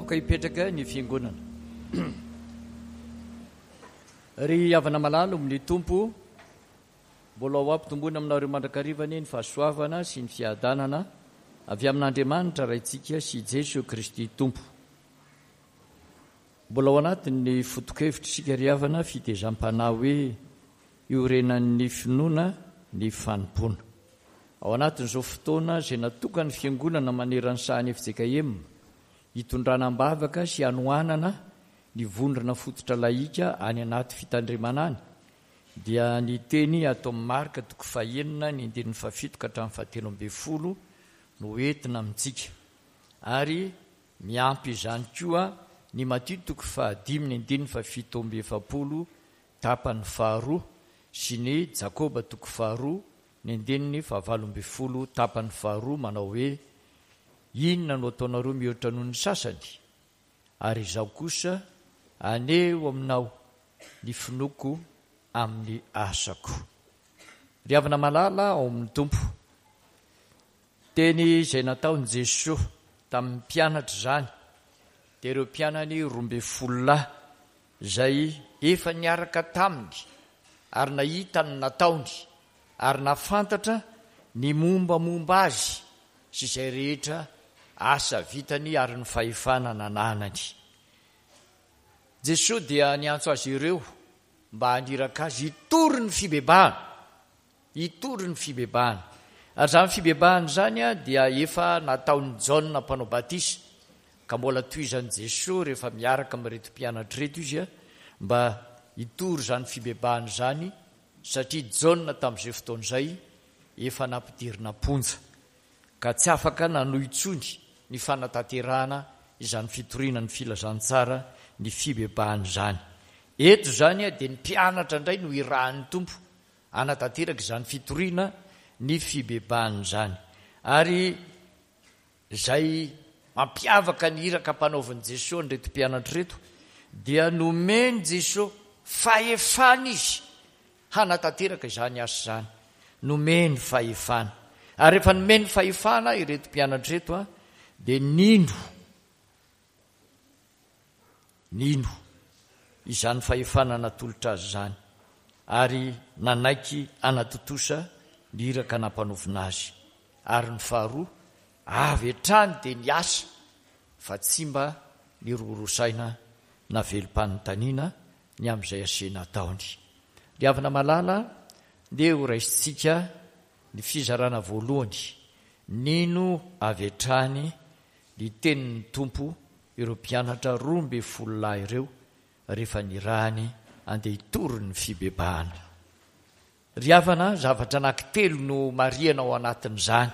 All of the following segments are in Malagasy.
Aoka hipetraka ny fiangonana. Ry havana malala amin'ny Tompo, mbola ho ampitomboina aminareo mandrakariva anie ny fahasoavana sy ny fiadanana avy amin'Andriamanitra Raintsika sy Jesoa Kristy Tompo. Mbola ao anatin'ny foto-kevitra isika ry havana, fitezam-panahy hoe iorenan'ny finoana ny fanompoana. Ao anatin'izao fotoana izay natokan'ny Fiangonana maneran'ny sahan'ny fjkm hitondrana am-bavaka sy hanohanana ny vondrona fototra lahika any anaty fitandremana any dia ny teny ato amin'ny Marka toko fahenina ny andininy fahafito ka hatramin'ny fahatelo ambin'ny folo no entina amintsika ary miampy izany koa ny Matio toko fahadimy ny andininy fahafito amby efapolo tapany faharoa sy ny Jakoba toko faharoa ny andininy fahavalo ambin'ny folo tapany faharoa manao hoe inona no ataonareo mihoatra noho ny sasany ary izaho kosa aneho aminao ny finoako amin'ny asako. Ry havana malala ao amin'ny Tompo, teny izay nataon'i Jesoa tamin'ny mpianatra izany dia ireo mpianany 12 lahy izay efa niaraka taminy ary nahita ny nataony ary nahafantatra ny mombamomba azy sy izay rehetra asa vitany ary ny fahefana nananany. Jesoa dia niantso azy ireo mba haniraka azy hitory ny fibebahana. Hitory ny fibebahana. Ary izany fibebahana izany dia efa nataon'i Jaona mpanao batisa, ka mbola tohizan'i Jesoa rehefa miaraka amin'ireto mpianatra ireto izy mba hitory izany fibebahana izany, satria Jaona tamin'izay fotoana izay efa nampidirina am-ponja, ka tsy afaka nanohy intsony ny fanatanterahana izany fitoriana ny filazantsara ny fibebahana izany. Eto izany dia ny mpianatra indray no irahan'ny Tompo hanatanteraka izany fitoriana ny fibebahana izany. Ary izay mampiavaka ny iraka ampanaovin'i Jesoa an'ireto mpianatra ireto dia nomen'i Jesoa fahefana izy hanatanteraka izany asa izany. Nomeny fahefana. Ary rehefa nomeny fahefana ireto mpianatra ireto dia nino, nino izany fahefana natolotra azy izany ary nanaiky hanatontosa ny iraka nampanaovina azy. Ary ny faharoa, avy hatrany dia niasa fa tsy mba niroroa saina na velom-panontaniana ny amin'izay asena ataony. Ry havana malala, ndeha ho raisintsika ny fizarana voalohany, nino avy hatrany ny tenin'ny Tompo ireo mpianatra 12 lahy ireo rehefa nirahany handeha hitory ny fibebahana. Ry havana, zavatra anankitelo no marihana ao anatin'izany.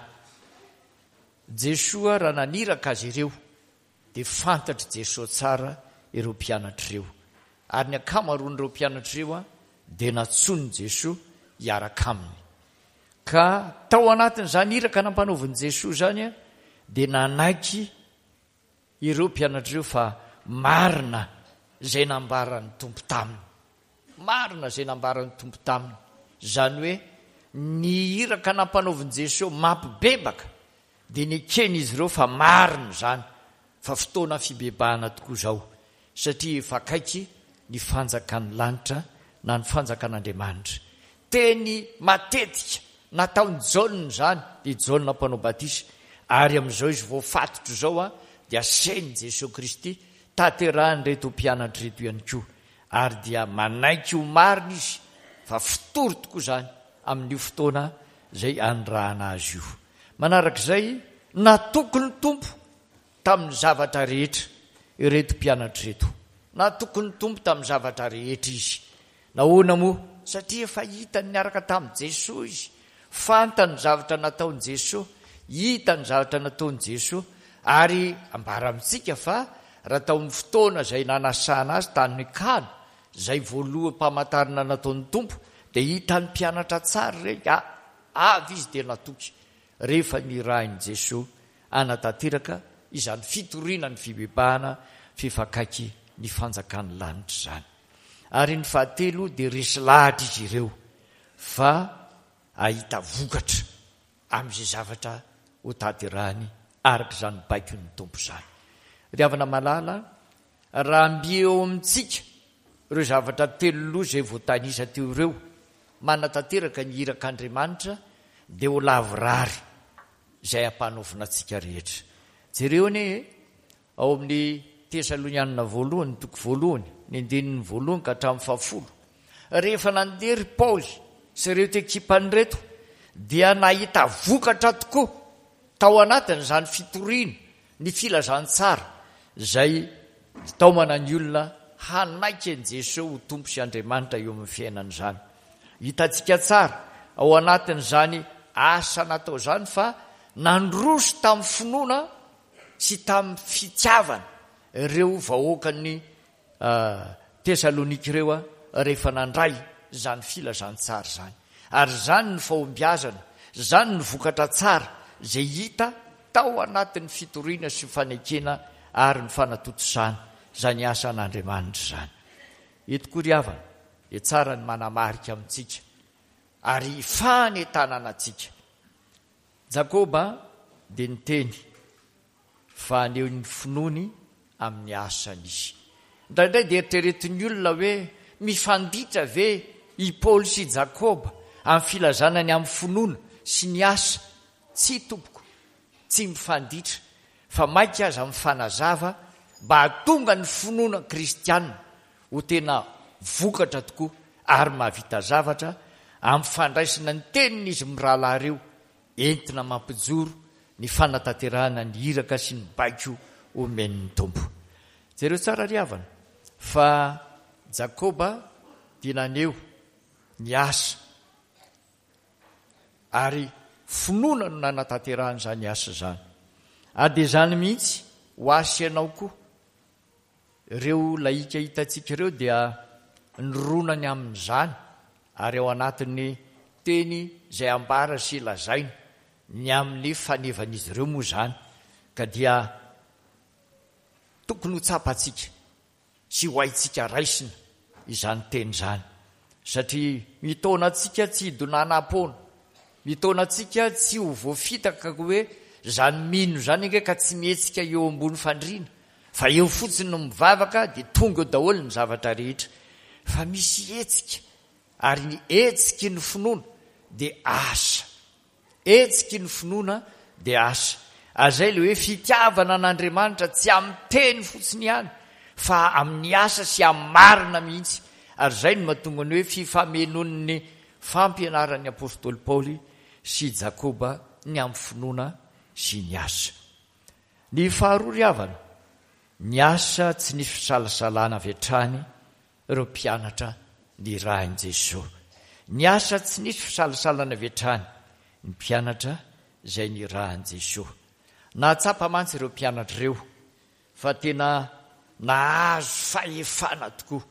Jesoa raha naniraka azy ireo dia fantatr'i Jesoa tsara ireo mpianatra ireo. Ary ny ankamaroan'ireo mpianatra ireo dia nantsoin'i Jesoa hiaraka aminy. Ka tao anatin'izany iraka nampanaovin'i Jesoa izany dia nanaiky ireo mpianatra ireo fa marina izay nambaran'ny Tompo taminy. Marina izay nambaran'ny Tompo taminy. Izany hoe ny iraka nampanaovin'i Jesoa mampibebaka dia neken'izy ireo fa marina izany fa fotoana fibebahana tokoa izao satria efa akaiky ny fanjakan'ny lanitra na ny fanjakan'Andriamanitra. Teny matetika nataon'i Jaona izany, dia Jaona mpanao batisa, ary amin'izao izy voafatotra izao dia asain'i Jesoa Kristy tanterahin'ireto mpianatra ireto ihany koa, ary dia manaiky ho marina izy fa fotory tokoa izany amin'io fotoana izay anirahana azy io. Manarak'izay, natoky ny Tompo tamin'ny zavatra rehetra ireto mpianatra ireto. Natoky ny Tompo tamin'ny zavatra rehetra izy. Nahoana moa? Satria efa hitany niaraka tamin'i Jesoa izy. Fantany ny zavatra nataon'i Jesoa, hitany ny zavatra nataon'i Jesoa, ary ambara amintsika fa raha tao amin'ny fotoana izay nanasana azy tany Kana, izay voaloham-pamantarana nataon'ny Tompo, dia hitan'ny mpianatra tsara ireny, avy izy dia natoky rehefa nirahin'i Jesoa hanatanteraka izany fitoriana ny fibebahana f'efa akaiky ny fanjakan'ny lanitra izany. Ary ny fahatelo dia resy lahatra izy ireo fa hahita vokatra amin'izay zavatra hotanterahiny araka izany baikon'ny Tompo izany. Ry havana malala, raha mby eo amintsika ireo zavatra teloloha izay voatanisa teo ireo, manatanteraka ny irak'Andriamanitra, dia ho lavorary izay ampanaovina antsika rehetra. Jereo anie e, ao amin'ny Tesalonianina voalohany, toko voalohany, ny andininy voalohany ka hatramin'ny fahafolo. Rehefa nandeha ry Paoly sy ireto ekipany ireto, dia nahita vokatra tokoa tao anatin'izany fitoriana ny filazantsara izay hitaomana ny olona hanaiky an'i Jesoa ho Tompo sy Andriamanitra eo amin'ny fiainany izany. Hitantsika tsara ao anatin'izany asa natao izany fa nandroso tamin'ny finoana sy tamin'ny fitiavana ireo vahoakan'ny Tesalonika ireo rehefa nandray izany filazantsara izany. Ary izany ny fahombiazana, izany ny vokatra tsara izay hita tao anatin'ny fitoriana sy fanekena ary ny fanatontosana izany asan'Andriamanitra izany. Eto koa ry havana dia tsara ny manamarika amintsika ary fanentanana antsika. Jakoba dia niteny fa haneho ny finoany amin'ny asany izy. Indraindray dia eritreretin'ny olona hoe mifanditra ve i Paoly sy i Jakoba amin'ny filazana ny amin'ny finoana sy ny asa? Tsia tompoko, tsy mifanditra, fa mainka aza mifanazava mba hahatonga ny finoana kristiana ho tena vokatra tokoa ary mahavita zavatra amin'ny fandraisana ny tenin'izy mirahalahy ireo entina mampijoro ny fanatanterahana ny iraka sy ny baiko omen'ny Tompo. Jereo tsara ry havana fa Jakoba dia naneho ny asa ary finoana no nanatanterahany izany asa izany. Ary dia izany mihitsy ho ahy sy ianao koa. Ireo lahika hitantsika ireo dia nirona ny amin'izany ary ao anatin'ny teny izay ambara sy lazaina ny amin'ny fanevan'izy ireo moa izany ka dia tokony ho tsapantsika sy ho haintsika raisina izany teny izany satria mitaona antsika tsy hidonanam-poana, mitaona antsika tsy ho voafitaka hoe izany mino izany ange ka tsy mihetsika eo ambony fandriana fa eo fotsiny no mivavaka dia tonga eo daholo ny zavatra rehetra fa misy hetsika ary ny hetsiky ny finoana dia asa. Hetsiky ny finoana dia asa. Ary izay ilay hoe fitiavana an'Andriamanitra tsy amin'ny teny fotsiny ihany fa amin'ny asa sy amin'ny marina mihitsy. Ary izay no mahatonga ny hoe fifamenoan'ny fampianaran'ny apostoly Paoly sy Jakoba ny amin'ny finoana sy ny asa. Ny faharoa ry havana, ny asa tsy nisy fisalasalana avy hatrany ireo mpianatra nirahin'i Jesoa. Niasa tsy nisy fisalasalana avy hatrany ny mpianatra izay nirahin'i Jesoa. Nahatsapa mantsy ireo mpianatra ireo fa tena nahazo fahefana tokoa.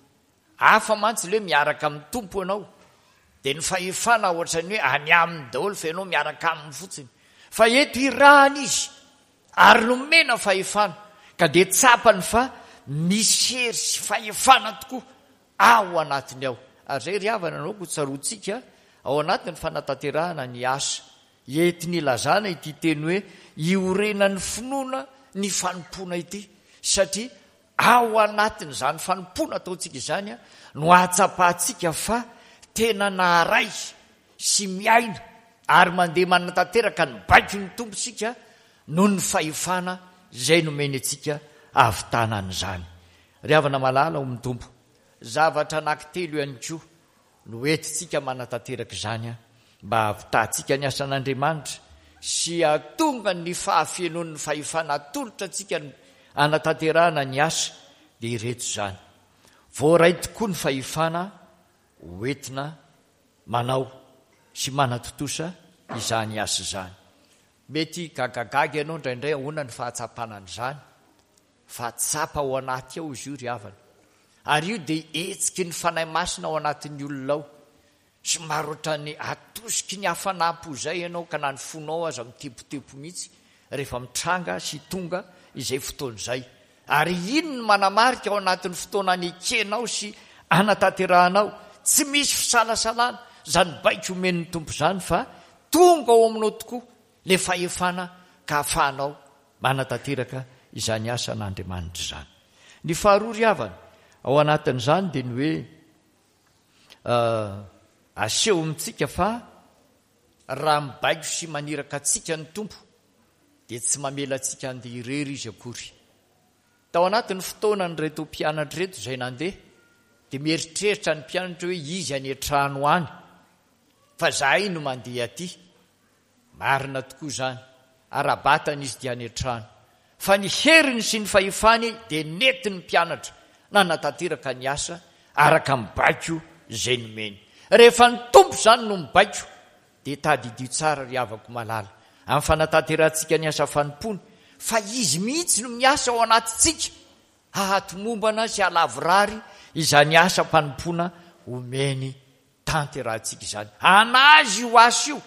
Hafa mantsy ilay hoe miaraka amin'ny Tompo ianao, dia ny fahefana ohatran'ny hoe any aminy daholo fa ianao miaraka aminy fotsiny. Fa eto irahana izy Ary nomena fahefana, ka dia tsapany fa misy hery sy fahefana tokoa ao anatiny ao. Ary izay ry havana no aoka ho tsaroantsika ao anatin'ny fanatanterahana ny asa entiny ilazana ity teny hoe iorenan'ny finoana ny fanompoana ity, satria ao anatin'izany fanompoana ataontsika izany no ahatsapantsika fa tena naharay sy miaina ary mandeha manatanteraka ny baikon'ny Tompo isika noho ny fahefana izay nomeny antsika hahavitana an'izany. Ry havana malala ao amin'ny Tompo, zavatra anankitelo ihany koa no entintsika manatanteraka izany mba hahavitantsika ny asan'Andriamanitra sy hahatonga ny fahafenoan'ny fahefana atolotra antsika hanatanterahana ny asa, dia ireto izany. Voaray tokoa ny fahefana hoentina manao sy manatontosa izany asa izany. Mety gagagaga ianao indraindray ahoana ny fahatsapana an'izany, fa tsapa ao anaty ao izy io ry havana. Ary io dia hetsiky ny Fanahy Masina ao anatin'ny olona ao. Somary ohatran'ny atosiky ny hafanam-po izay ianao ka na ny fonao aza mitepotepo mihitsy rehefa mitranga sy tonga izay fotoana izay. Ary iny no manamarika ao anatin'ny fotoana anekenao sy anatanterahanao, tsy misy fisalasalana, izany baiko omen'ny Tompo izany fa tonga ao aminao tokoa ilay fahefana ka ahafahanao manatanteraka izany asan'Andriamanitra izany. Ny faharoa ry havana, ao anatin'izany dia ny hoe aseho amintsika fa raha mibaiko sy maniraka antsika ny Tompo dia tsy mamela antsika handeha irery Izy akory. Tao anatin'ny fotoanan'ireto mpianatra ireto izay nandeha dia mieritreritra ny mpianatra hoe izy any an-trano any fa zahay no mandeha aty. Marina tokoa izany, ara-batana izy dia any an-trano. Fa ny heriny sy ny fahefany dia nentin'ny mpianatra nanatanteraka ny asa araka ny baiko izay nomeny. Rehefa ny Tompo izany no mibaiko dia tadidio tsara ry havako malala, amin'ny fanatanterahantsika ny asa fanompoana, fa Izy mihitsy no miasa ao anatintsika hahatomombana sy hahalavorary izany asam-panompoana omeny tanterahantsika izany. An'Azy io asa io,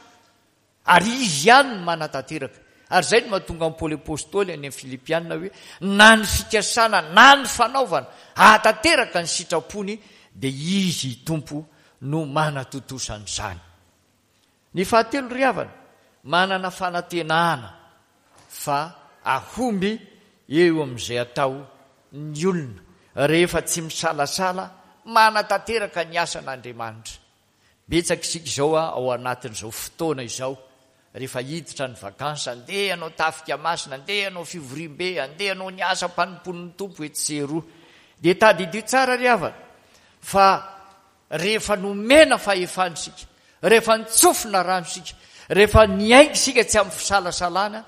ary Izy ihany no manatanteraka. Ary izay no mahatonga an'i Paoly Apostoly any amin'ny Filipiana hoe, na ny fikasana na ny fanaovana hahatanteraka ny sitrapony dia Izy Tompo no manatontosa an'izany. Ny fahatelo ry havana, manana fanantenana fa ahomby eo amin'izay atao ny olona rehefa tsy misalasala manatanteraka ny asan'Andriamanitra. Betsaka isika izao ao anatin'izao fotoana izao, rehefa hiditra ny vacances, andeha hanao tafika masina, andeha hanao fivoriambe, andeha hanao ny asam-panompoan'ny Tompo etsy sy eroa. Dia tadidio tsara ry havana fa Rehefa nomena fahefana isika, rehefa nitsofina rano isika, rehefa niainga isika tsy amin'ny fisalasalana,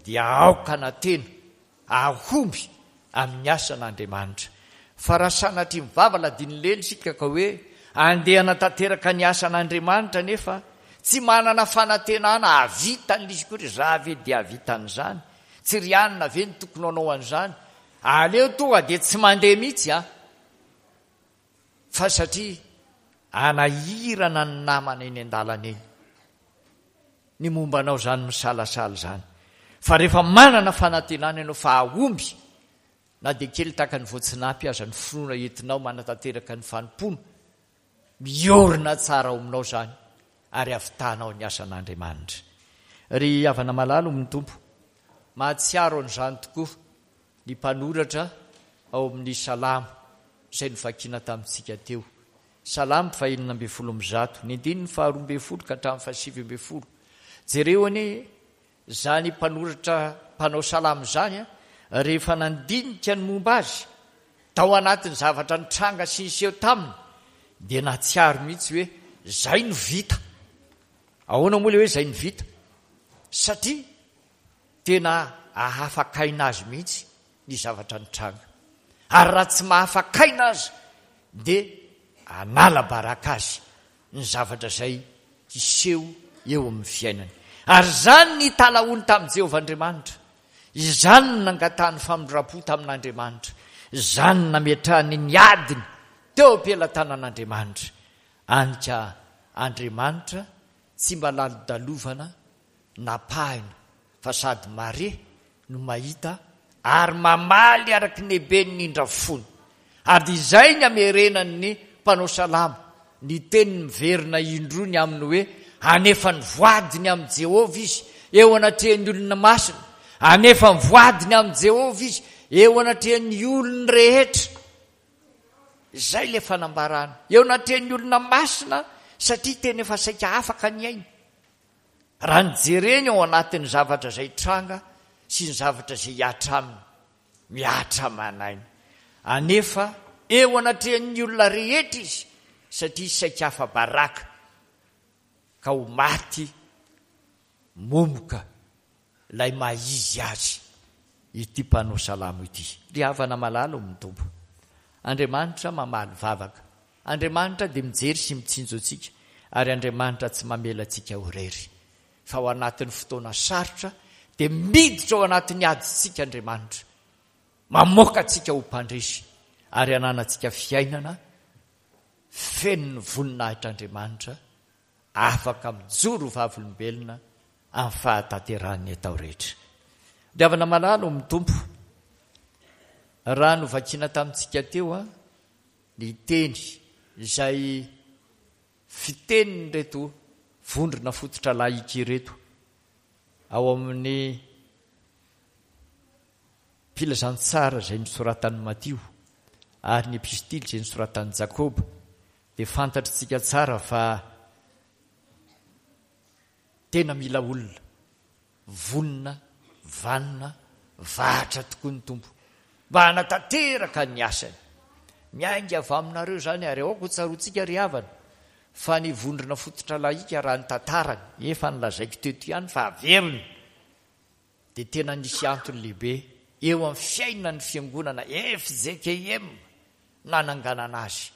dia aoka hanantena hahomby amin'ny asan'Andriamanitra. Fa raha sanatria mivava ladin'ny lela isika ka hoe andeha hanatanteraka ny asan'Andriamanitra nefa tsy manana fanantenana hahavita an'ilay izy akory, za ve dia hahavita an'izany? Tsy ry anona ve no tokony hanao an'izany? Aleo tonga dia tsy mandeha mihitsy an! Fa satria anahirana ny namana eny an-dalana eny. Ny momba anao izany misalasala izany. Fa rehefa manana fanantenana ianao fa hahomby, na dia kely tahaka ny voatsinapy aza ny finoana entinao manatanteraka ny fanompoana, miorina tsara ao aminao izany ary havitanao ny asan'Andriamanitra. Ry havana malala ao amin'ny Tompo, mahatsiaro an'izany tokoa ny mpanoratra ao amin'ny Salamo izay novakiana tamintsika teo. Salamo fahenina 116, ny andininy faharoa 12 ka hatramin'ny fahasivy 19. Jereo anie izany mpanoratra mpanao salamo izany rehefa nandinika ny momba azy tao anatin'ny zavatra nitranga sy niseho taminy dia nahatsiaro mihitsy hoe izay no vita. Ahoana moa ilay hoe izay no vita? Satria Tena ahafakaina azy mihitsy ny zavatra nitranga. Ary raha tsy mahafakaina aza dia anala baraka azy ny zavatra izay hiseho eo amin'ny fiainany. Ary izany ny nitalahoany tamin'i Jehovah Andriamanitra. Izany no nangatahany famindram-po tamin'Andriamanitra. Izany no nametrahany ny adiny teo am-pelatanan'Andriamanitra. Any ka Andriamanitra tsy mba lalodalovana napahina fa sady mare no mahita ary mamaly araky ny heben'ny indra fony. Ary dia izay ny amerenan'ny mpanao salamo ny teniny miverina indroa ny amin'ny hoe hanefa ny voadiny amin'i Jehovah izy eo anatrehan'ny olona masina, hanefa ny voadiny amin'i Jehovah izy eo anatrehan'ny olony rehetra. Izay ilay fanambarana eo anatrehan'ny olona masina satria tena efa saika afaka ny ainy. Raha ny jereny ao anatin'ny zavatra izay tranga sy ny zavatra izay hihatra aminy, mihatra aman'aina. Anefa eo anatrehan'ny olona rehetra izy satria saika afa-baraka ka ho maty momoka ilay maha izy azy ity mpanao salamo ity. Ry havana malala ao amin'ny Tompo, Andriamanitra mamaly vavaka. Andriamanitra dia mijery sy mitsinjo antsika ary Andriamanitra tsy mamela antsika ho irery. Fa ao anatin'ny fotoana sarotra dia miditra ao anatin'ny adintsika Andriamanitra. Mamoaka antsika ho mpandresy ary hananantsika fiainana feno ny voninahitr'Andriamanitra afaka mijoro ho vavolombelona amin'ny fahatanterahan'ny atao rehetra. Ry havana malala ao amin'ny Tompo, raha novakiana tamintsika teo ny teny izay fitenin'ireto vondrona fototra laïque ireto ao amin'ny. Filazantsara izay nosoratan'i Matio ary ny Epistily izay nosoratan'i Jakoba dia fantatr'tsika tsara fa tena mila olona vonona, vanona, vahatra tokoa ny Tompo mba hanatanteraka ny asany. Miainga avy aminareo izany ary aoka ho tsaroantsika ry havana fa ny vondrona fototra lahika raha ny tantarany, efa nolazaiko teto ihany fa averina, dia tena nisy antony lehibe eo amin'ny fiainan'ny fiangonana fjkm nananganana azy.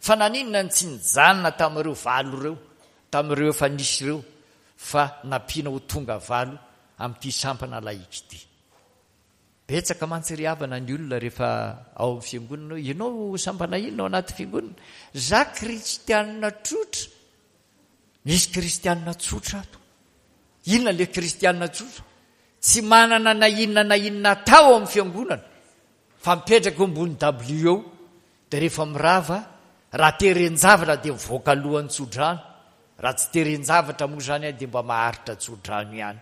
Fa naninona no tsy nijanona tamin'ireo valo ireo, tamin'ireo efa nisy ireo, fa nampiana ho tonga valo amin'ity sampana laïque ity? Betsaka mantsy ry havana ny olona rehefa ao amin'ny fiangonana hoe, ianao sampana inona ao anaty fiangonana? Za kristianina tsotra. Misy kristianina tsotra ato. Inona ilay kristianina tsotra? Tsy manana na inona na inona atao ao amin'ny fiangonana fa mipetraka eo ambony dabilio eo dia rehefa mirava, raha teren-javatra dia mivoaka alohan'ny tsodrano, raha tsy teren-javatra moa izany dia mba maharitra tsodrano ihany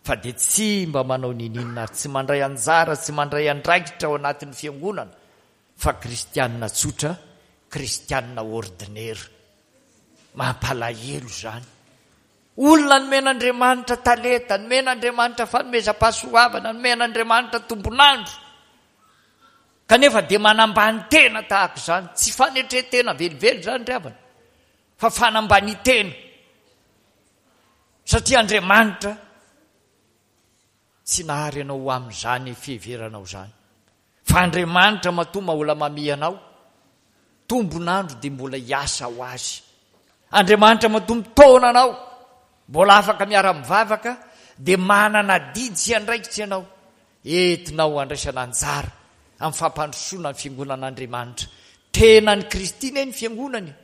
fa dia tsy mba manao niniana ary tsy mandray anjara, tsy mandray andraikitra ao anatin'ny fiangonana fa kristianina tsotra, kristianina ordinaire. Mampalahelo izany. Olona nomen'Andriamanitra talenta, nomen'Andriamanitra fanomezam-pahasoavana, nomen'Andriamanitra tombon'andro. Kanefa dia manambany tena tahaka izany. Tsy fanetren-tena velively izany ry havana, fa fanambanian-tena. Satria Andriamanitra Tsy nahary anao ho amin'izany fiheveranao izany. Fa Andriamanitra matoa mahola mamiha anao, tombon'andro dia mbola hiasa ho azy. Andriamanitra matoa mitaona anao, mbola afaka miara-mivavaka, dia manana adidy sy andraikitra ianao, entinao handraisana anjara amin'ny fampandrosoana ny fiangonan'Andriamanitra. Tenan'i Kristy anie ny fiangonana e!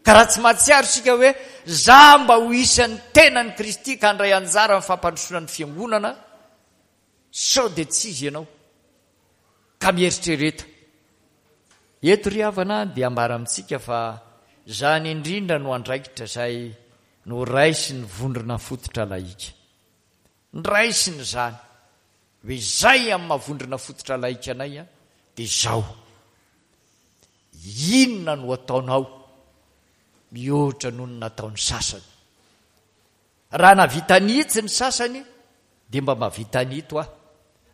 Ka raha tsy mahatsiaro isika hoe za mba ho isan'ny tenan'i Kristy ka handray anjara amin'ny fampandrosoana ny fiangonana, sao dia tsy izy ianao? Ka mieritrereta. Eto ry havana dia ambara amintsika fa izany indrindra no andraikitra izay noraisin'ny vondrona fototra lahika. Nraisiny izany hoe izay amin'ny maha vondrona fototra lahika anay dia izao. Inona no ataonao mihoatra noho ny nataon'ny sasany? Raha nahavita an'itsy ny sasany dia mba mahavita an'ito aho.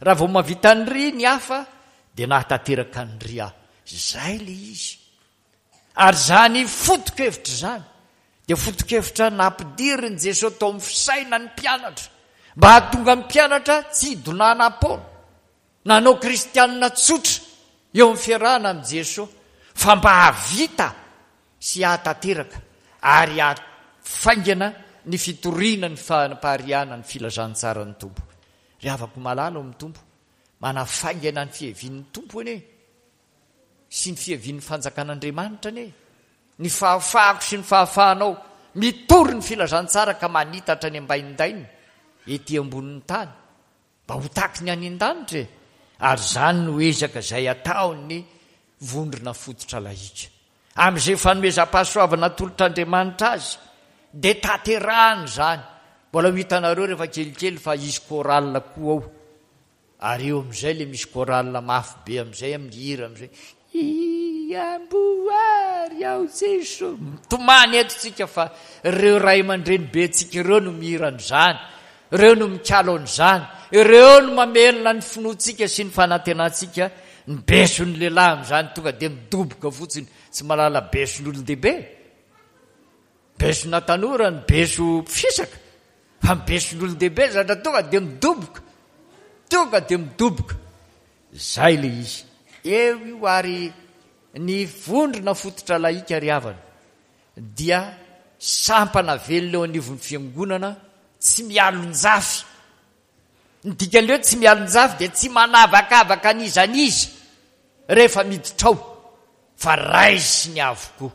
Raha vao mahavita an'iry ny hafa dia nahatanteraka an'iry aho. Izay ilay izy. Ary izany foto-kevitra izany dia foto-kevitra nampidirin'i Jesoa tao amin'ny fisainan'ny mpianatra mba hahatonga ny mpianatra tsy hidonanam-poana. Nanao kristianina tsotra eo amin'ny fiarahana amin'i Jesoa fa mba hahavita sy hahatanteraka ary hahafaingana ny fitoriana ny fanapariahana ny filazantsaran'ny Tompo. Ry havako malala ao amin'ny Tompo, manafaingana ny fiavian'ny Tompo anie sy ny fiavian'ny fanjakan'Andriamanitra anie ny fahafahako sy ny fahafahanao mitory ny filazantsara ka manitatra any ambaindainy ety ambonin'ny tany. Mba ho taky ny any an-danitra e! Ary izany no ezaka izay ataon'ny vondrona fototra lahika. Amin'izay fanomezam-pahasoavana atolotr'Andriamanitra azy, dia tanterahany izany. Mbola ho hitanareo rehefa kelikely fa hisy chorale koa ao. Ary eo amin'izay ilay misy chorale mafy be amin'izay amin'ny hira amin'izay. Iamboary aho Jeso. Mitomany eto tsika fa ireo ray aman-dreny be antsika ireo no mihira an'izany. Ireo no mikalo an'izany. Ireo no mamelona ny finoantsika sy ny fanantenantsika. Ny beson'ny lehilahy amin'izany tonga dia midoboka fotsiny, tsy mahalala beson'olon-dehibe. Besona tanora ny beso fisaka, fa ny beson'olon-dehibe zatra tonga dia midoboka. Tonga dia midoboka. Izay ilay izy. Eo io ary ny vondrona fototra lahika ry havana dia sampana velona eo anivon'ny fiangonana tsy mialonjafy. Ny dikan'ilay hoe tsy mialonjafy dia tsy manavakavaka an'iza n'iza rehefa miditra ao fa raisiny avokoa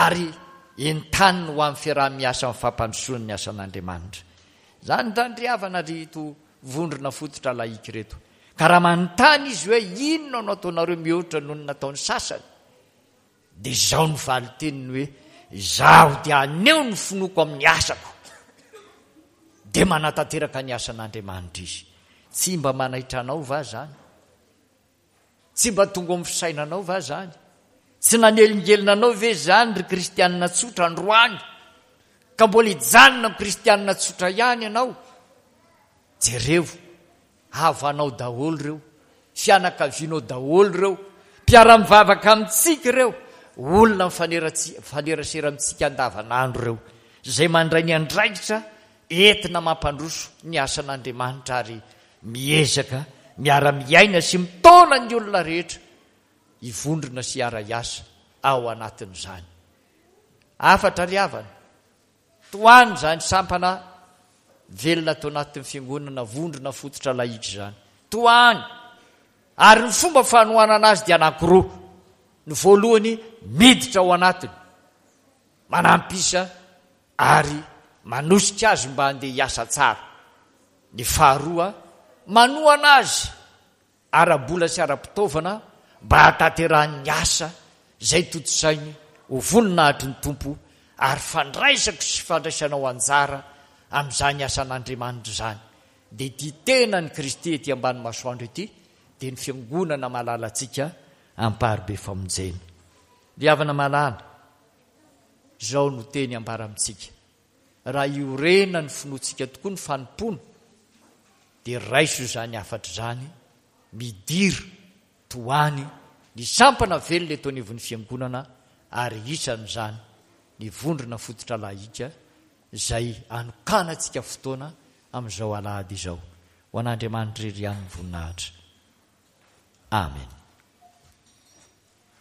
ary entaniny ho amin'ny fiaraha-miasa amin'ny fampandrosoana ny asan'Andriamanitra. Izany izany ry havana ry ito vondrona fototra laïque ireto. Ka raha manontany izy hoe inona no ataonareo mihoatra noho ny nataon'ny sasany, dia izao no valin-teniny hoe, izaho dia haneho ny finoako amin'ny asako. Dia manatanteraka ny asan'Andriamanitra izy. Tsy mba manaitra anao va izany? Tsy mba tonga ao amin'ny fisainanao va izany? Tsy nanelingelina anao ve izany ry kristianina tsotra androany? Ka mbola hijanona ho kristianina tsotra ihany ianao? Jereo, havanao daholo ireo, fianakavianao daholo ireo, mpiara-mivavaka amintsika ireo, olona mifanerasera amintsika andavanandro ireo, izay mandray ny andraikitra entina mampandroso ny asan'Andriamanitra ary miezaka miara-miaina sy mitaona ny olona rehetra hivondrona sy hiara-hiasa ao anatin'izany. Hafatra ry havana, tohano izany sampana velona ato anatin'ny fiangonana vondrona fototra lahika izany. Tohano! Ary ny fomba fanohanana azy dia anankiroa. Ny voalohany, miditra ao anatiny, manampy isa ary manosika azy mba handeha hiasa tsara. Ny faharoa, manohana azy ara-bola sy ara-pitaovana mba hahatanterahany ny asa izay tontosainy ho voninahitry ny Tompo ary fandraisako sy fandraisanao anjara amin'izany asan'Andriamanitra izany dia ity tenan'i Kristy ety ambany masoandro ity dia ny Fiangonana malalantsika Amparibe Famonjena. Ry havana malala, Izao no teny ambara amintsika, Raha iorenan'ny finoantsika tokoa ny fanompoana, dia raiso izany hafatra izany, midira tohany ny sampana velona eto anivon'ny Fiangonana ary isan'izany ny vondrona fototra lahika izay anokanantsika fotoana amin'izao alahady izao. Ho an'Andriamanitra irery ihany ny voninahitra. Amen.